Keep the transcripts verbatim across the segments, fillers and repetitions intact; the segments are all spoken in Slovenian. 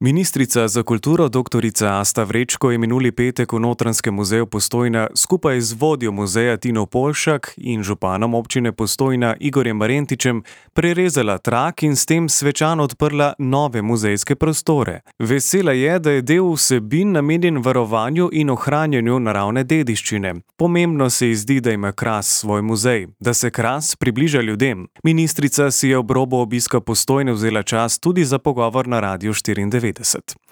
Ministrica za kulturo doktorica Asta Vrečko je minuli petek v Notranjskem muzeju Postojna skupaj z vodjo muzeja Tino Polšak in županom občine Postojna Igorjem Marentičem prerezala trak in s tem svečano odprla nove muzejske prostore. Vesela je, da je del vsebin namenjen varovanju in ohranjanju naravne dediščine. Pomembno se ji zdi, da ima Kras svoj muzej, da se Kras približa ljudem. Ministrica si je ob robu obiska Postojne vzela čas tudi za pogovor na Radiu štiriindevetdeset.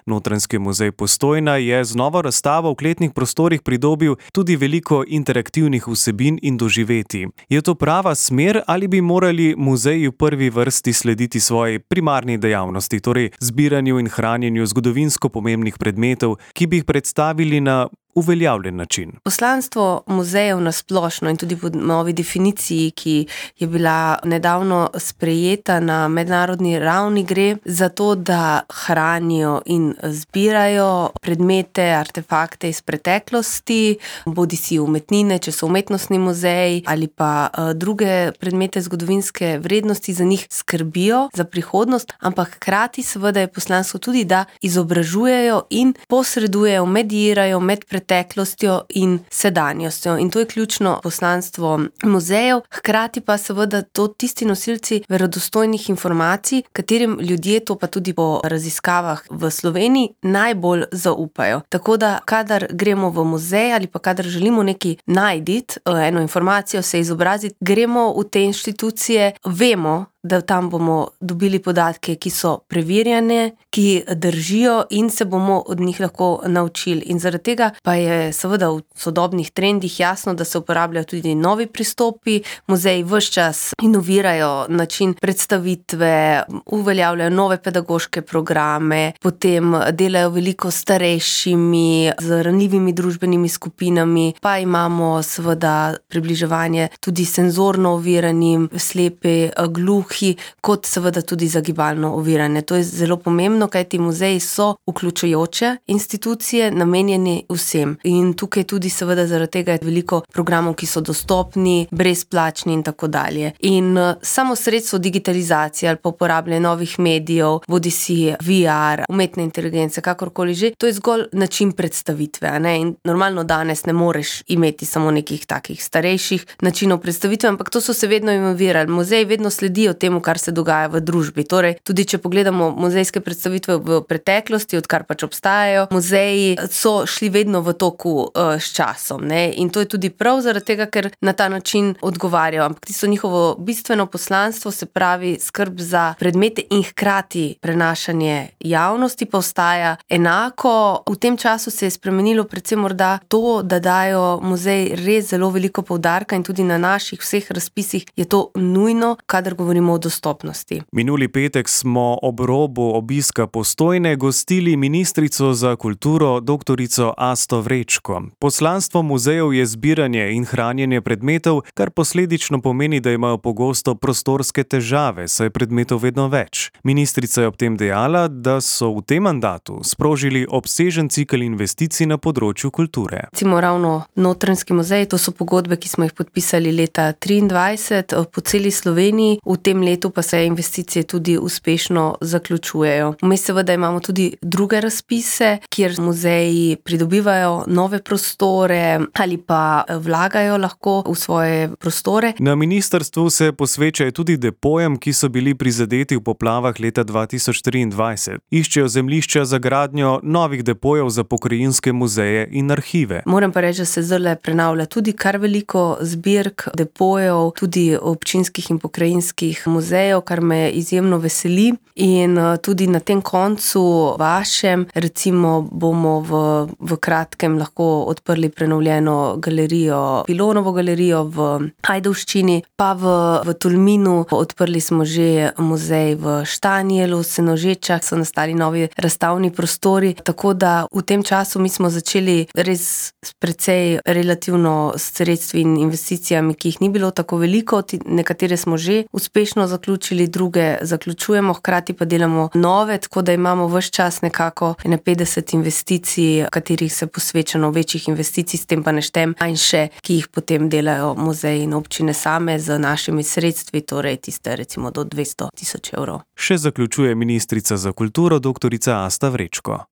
Notranjski muzej Postojna je z novo razstavo v kletnih prostorih pridobil tudi veliko interaktivnih vsebin in doživetij. Je to prava smer ali bi morali muzeji v prvi vrsti slediti svoji primarni dejavnosti, torej zbiranju in hranjenju zgodovinsko pomembnih predmetov, ki bi jih predstavili na uveljavljen način? Poslanstvo muzejev na splošno in tudi po novi definiciji, ki je bila nedavno sprejeta na mednarodni ravni, gre za to, da hranijo in zbirajo predmete, artefakte iz preteklosti, bodisi umetnine, če so umetnostni muzeji, ali pa druge predmete zgodovinske vrednosti, za njih skrbijo za prihodnost, ampak hkrati seveda je poslanstvo tudi, da izobražujejo in posredujejo, medirajo med preteklostjo preteklostjo in sedanjostjo. In to je ključno poslanstvo muzejev, hkrati pa seveda to tisti nosilci verodostojnih informacij, katerim ljudje, to pa tudi po raziskavah v Sloveniji, najbolj zaupajo. Tako da, kadar gremo v muzej ali pa kadar želimo nekaj najditi, eno informacijo se izobraziti, gremo v te inštitucije, vemo, da tam bomo dobili podatke, ki so preverjane, ki držijo in se bomo od njih lahko naučili. In zaradi tega pa je seveda v sodobnih trendih jasno, da se uporabljajo tudi novi pristopi. Muzeji ves čas inovirajo način predstavitve, uveljavljajo nove pedagoške programe, potem delajo veliko starejšimi, z ranljivimi družbenimi skupinami, pa imamo seveda približevanje tudi senzorno oviranim, slepi, gluhi, kot seveda tudi za gibalno ovirane. To je zelo pomembno, kajti muzeji so vključujoče institucije, namenjeni vsem. In tukaj tudi seveda zaradi tega je veliko programov, ki so dostopni, brezplačni in tako dalje. In samo sredstvo digitalizacije ali pa uporabljanje novih medijev, bodisi V R, umetne inteligence, kakorkoli že, to je zgolj način predstavitve, a ne? In normalno danes ne moreš imeti samo nekih takih starejših načinov predstavitve, ampak to so se vedno inovirali. Muzeji vedno sledijo temu, kar se dogaja v družbi. Torej, tudi če pogledamo muzejske predstavitve v preteklosti, odkar pač obstajajo, muzeji so šli vedno v toku uh, s časom, ne? In to je tudi prav zaradi tega, ker na ta način odgovarjajo. Ampak tisto njihovo bistveno poslanstvo, se pravi skrb za predmete in hkrati prenašanje javnosti, pa ostaja enako. V tem času se je spremenilo predvsem morda to, da dajo muzeji res zelo veliko poudarka in tudi na naših vseh razpisih je to nujno, kadar govorimo o dostopnosti. Minuli petek smo ob robu obiska Postojne gostili ministrico za kulturo doktorico Asto Vrečko. Poslanstvo muzejev je zbiranje in hranjenje predmetov, kar posledično pomeni, da imajo pogosto prostorske težave, saj je predmetov vedno več. Ministrica je ob tem dejala, da so v tem mandatu sprožili obsežen cikel investicij na področju kulture. Recimo ravno Notranjski muzej, to so pogodbe, ki smo jih podpisali leta triindvajset po celi Sloveniji, v tem letu pa se investicije tudi uspešno zaključujejo. Vmes seveda imamo tudi druge razpise, kjer muzeji pridobivajo nove prostore ali pa vlagajo lahko v svoje prostore. Na ministrstvu se posvečajo tudi depojem, ki so bili prizadeti v poplavah leta dva tisoč triindvajset. Iščejo zemljišča za gradnjo novih depojev za pokrajinske muzeje in arhive. Moram pa reči, da se zdaj prenavlja tudi kar veliko zbirk, depojev, tudi občinskih in pokrajinskih muzejev, kar me izjemno veseli. In tudi na tem koncu vašem, recimo, bomo v, v kratkem lahko odprli prenovljeno galerijo, Pilonovo galerijo v Ajdovščini, pa v, v Tolminu odprli smo že muzej v Štanjelu, Senožečah so nastali novi razstavni prostori, tako da v tem času mi smo začeli res s precej relativno sredstvi in investicijami, ki jih ni bilo tako veliko, nekatere smo že uspešno uspešno zaključili, druge zaključujemo, hkrati pa delamo nove, tako da imamo ves čas nekako ene petdeset investicij, katerih se posvečeno večjih investicij, s tem pa ne štem, in še, ki jih potem delajo muzeji in občine same z našimi sredstvi, torej tiste recimo do dvesto tisoč evrov. Še zaključuje ministrica za kulturo doktorica Asta Vrečko.